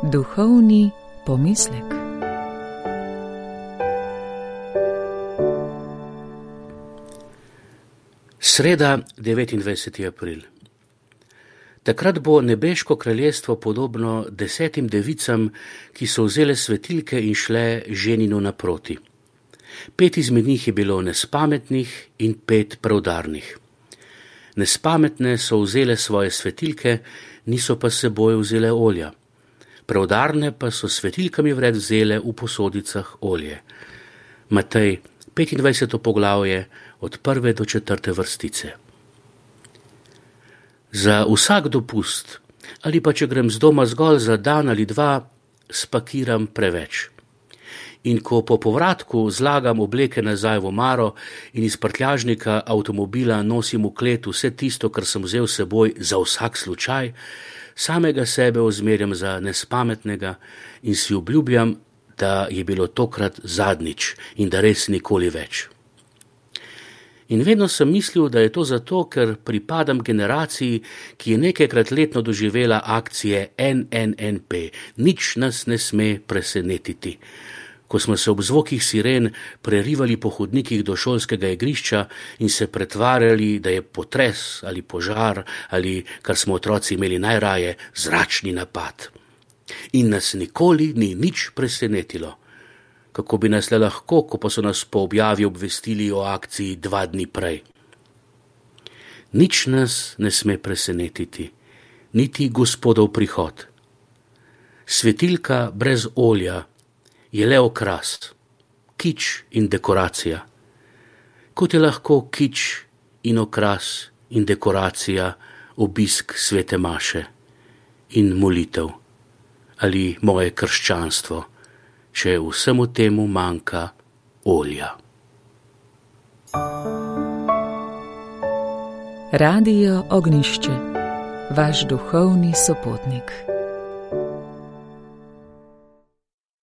Duhovni pomislek. Sreda, 29. april. Takrat bo nebeško kraljestvo podobno 10 devicam, ki so vzele svetilke in šle ženinu naproti. 5 izmed njih je bilo nespametnih in 5 preudarnih. Nespametne so vzele svoje svetilke, niso pa s seboj vzele olja. Preudarne pa so svetilkami vred vzele v posodicah olje. Matej, 25. poglavje, od 1. do 4. vrstice. Za vsak dopust, ali pa če grem z doma zgolj za dan ali dva, spakiram preveč. In ko po povratku zlagam obleke nazaj v omaro in iz prtljažnika avtomobila nosim v klet vse tisto, kar sem vzel s seboj za vsak slučaj, samega sebe ozmerjam za nespametnega in si obljubljam, da je bilo tokrat zadnjič in da res nikoli več. In vedno sem mislil, da je to zato, ker pripadam generaciji, ki je nekajkrat letno doživela akcije NNNP, nič nas ne sme presenetiti. Ko smo se ob zvokih siren prerivali po hodnikih do šolskega igrišča in se pretvarjali, da je potres ali požar ali, kar smo otroci imeli najraje, zračni napad. In nas nikoli ni nič presenetilo. Kako bi nas le lahko, ko pa so nas po objavi obvestili o akciji 2 dni prej. Nič nas ne sme presenetiti, niti Gospodov prihod. Svetilka brez olja je le okras, kič in dekoracija. Kot je lahko kič in okras in dekoracija obisk svete maše in molitev ali moje krščanstvo, če vsemu temu manjka olja. Radio Ognjišče, vaš duhovni sopotnik.